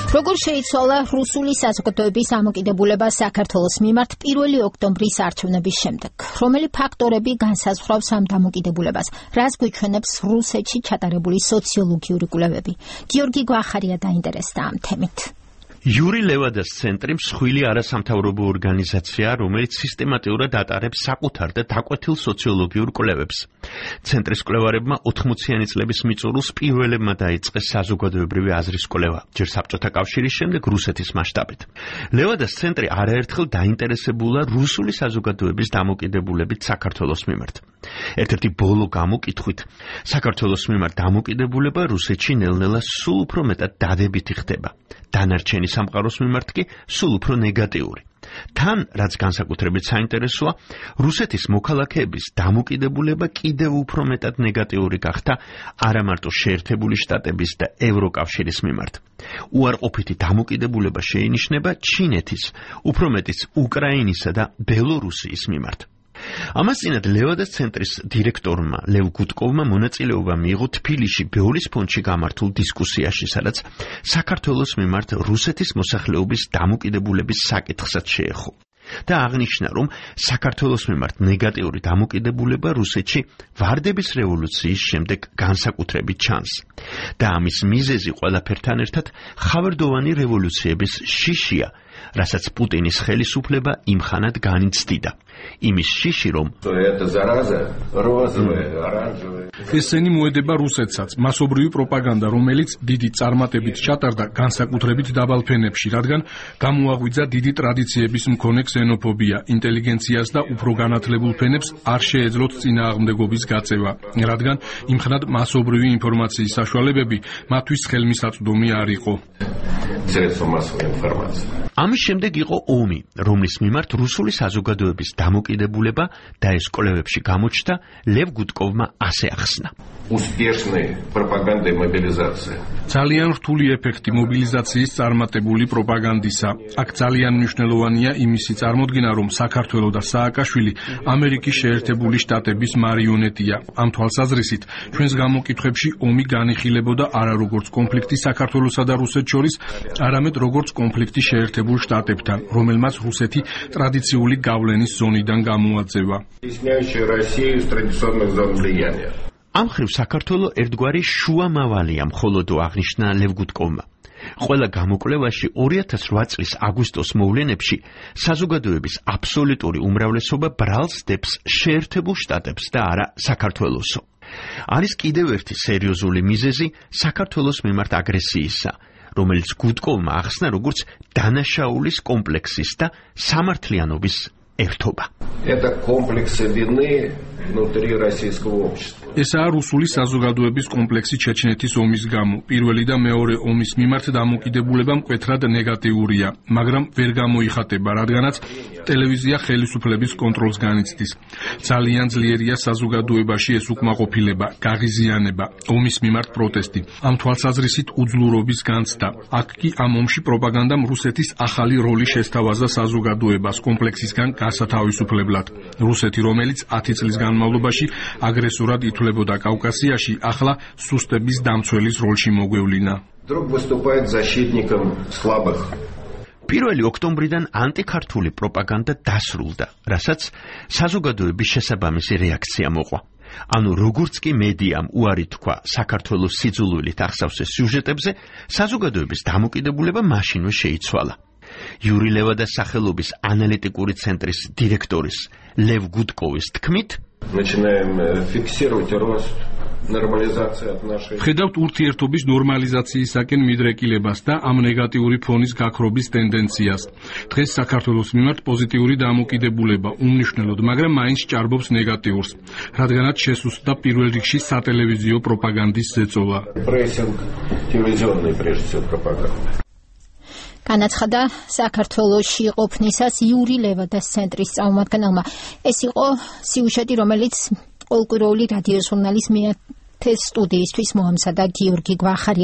როგორ შეიცვალა რუსული საზოგადოების დამოკიდებულება საქართველოს მიმართ 1 ოქტომბრის არჩევნების შემდეგ? რომელი ფაქტორები განსაზღვრავს ამ დამოკიდებულებას? რას გვიჩვენებს რუსეთში ჩატარებული სოციოლოგიური კვლევები? გიორგი გვახარია დაინტერესდა ამ თემით. Yuri Levadas ცენტრი მსხვილი არასამთავრობო ორგანიზაციაა, რომელიც სისტემატურად ატარებს საკუთარ და დაკვეთილ სოციოლოგიურ კვლევებს. ცენტრის კვლევარებმა 80-იანი წლების მიწურულს პირველებმა დაიწყეს საზოგადოებრივი აზრის კვლევა, ჯერ საბჭოთა კავშირის, შემდეგ რუსეთის მასშტაბით. Levadas ცენტრი არაერთხელ დაინტერესებულა რუსული საზოგადოების დამოკიდებულებით საქართველოს მიმართ. ერთ-ერთი ბოლო გამოკითხვით, საქართველოს მიმართ დამოკიდებულება რუსეთში ნელ-ნელა სულ უფრო მეტად დადებითი ხდება. დანარჩენი სამყაროს მიმართ კი სულ უფრო ნეგატიური. თან, რაც განსაკუთრებით საინტერესოა, რუსეთის მოქალაქეების დამოკიდებულება კიდევ უფრო მეტად ნეგატიური გახდა არა მარტო შეერთებული შტატების და ევროკავშირის მიმართ. უარყოფითი დამოკიდებულება შეინიშნება ჩინეთის, უფრო მეტიც უკრაინისა და ბელორუსიის მიმართ. ამას წინათ ლევადას ცენტრის დირექტორმა ლევ გუტკოვმა მონაწილეობა მიიღო თბილისში ბეორის ფონდში გამართულ დისკუსიაში, სადაც საქართველოს მიმართ რუსეთის მოსახლეობის დამოკიდებულების საკითხსაც შეეხო და აღნიშნა, რომ საქართველოს მიმართ ნეგატიური დამოკიდებულება რუსეთში ვარდების რევოლუციის შემდეგ განსაკუთრებით ჩანს და ამის მიზეზი ყველაფერთან ერთად ხავერდოვანი რევოლუციების შიშია, რასაც პუტინის ხელისუფლება იმხანად განიცდიდა. იმის შიში, რომ ესენი მოედება რუსეთსაც, მასობრივი პროპაგანდა, რომელიც დიდი წარმატებით ჩატარდა განსაკუთრებით დაბალ ფენებში, რადგან გამოაღვიძა დიდი ტრადიციების მქონე ქსენოფობია, ინტელიგენციას და უფრო განათლებულ ფენებს არ შეეძლოთ წინააღმდეგობის გაწევა, რადგან იმხანად მასობრივი ინფორმაციის საშუალებები მათთვის ხელმისაწვდომი არ იყო. ამის შემდეგ იყო ომი, რომლის მიმართ რუსული საზოგადოების დამოკიდებულება და ეს კვლევებში გამოჩნდა, ლევ გუტკოვმა ასე ახსნა. ძალიან რთული ეფექტი მობილიზაციის წარმატებული პროპაგანდისა. აქ ძალიან მნიშვნელოვანია იმისი წარმოდგენა, რომ საქართველო და სააკაშვილი ამერიკის შეერთებული შტატების მარიონეტია. ამ თვალსაზრისით, ჩვენს გამოკითხვებში ომი განიხილებოდა არა როგორც კონფლიქტი საქართველოსა და რუსეთს შორის, არამედ როგორც კონფლიქტი შეერთებულ შტატებთან, რომელმაც რუსეთი ტრადიციული გავლენის ზონიდან გამოაძევა. ამ ხრივ საქართველო ერთგვარი შუამავალია, მხოლოდ აღნიშნა ლევ გუტკოვმა. ყველა გამოკვლევაში 2008 წლის აგვისტოს მოვლენებში საზოგადოების აბსოლუტური უმრავლესობა ბრალს დებს შეერთებულ შტატებს და არა საქართველოსო. არის კიდევ ერთი სერიოზული მიზეზი საქართველოს მიმართ აგრესიისა, რომელიც გუტკოვმა ახსნა როგორც დანაშაულის კომპლექსის და სამართლიანობის ერთობა. ესაა რუსული საზოგადოების კომპლექსი ჩეჩნეთის ომის გამო. პირველი და მეორე ომის მიმართ დამოკიდებულება მკვეთრად ნეგატიურია, მაგრამ ვერ გამოიხატება, რადგანაც ტელევიზია ხელისუფლების კონტროლს განიცდის. ძალიან ძლიერია საზოგადოებაში ეს უკმაყოფილება, გაღიზიანება, ომის მიმართ პროტესტი. ამ თვალსაზრისით უძლურობის განცდა. აქ კი ამ ომში პროპაგანდამ რუსეთის ახალი როლი შესთავაზა საზოგადოებას კომპლექსისგან გასათავისუფლებლად. რუსეთი, რომელიც 10 წლის განმავლობაში აგრესორად ითვლებოდა კავკასიაში, ახლა სუსტების დამცველის როლში მოგვევლინა. 1 ოქტომბრიდან ანტიქართული პროპაგანდა დასრულდა, რასაც საზოგადოების შესაბამისი რეაქცია მოყვა. ანუ როგორც კი მედიამ უარი თქვა საქართველოს სიძულვილით ახსავსეს სიუჟეტებზე, საზოგადოების დამოკიდებულება მაშინვე შეიცვალა. Yuri Levadas სახელობის ანალიტიკური ცენტრის დირექტორის ლევ გუტკოვის თქმით, ხედავთ ურთიერთობის ნორმალიზაციისაკენ მიდრეკილებას და ამ ნეგატიური ფონის გაქრობის ტენდენციას. დღეს საქართველოს მიმართ პოზიტიური დამოკიდებულება უმნიშვნელოდ, მაგრამ მაინც ჭარბობს ნეგატიურს, რადგანაც შესუსტდა პირველ რიგში სატელევიზიო პროპაგანდის ზეწოლა. განაცხადა საქართველოში ყოფნისას Yuri Levadas ცენტრის წარმომადგენელმა. ეს იყო სიუჟეტი, რომელიც ყოველკვირეული რადიო ჟურნალის მეათე სტუდიისთვის მოამზადა გიორგი გვახარია.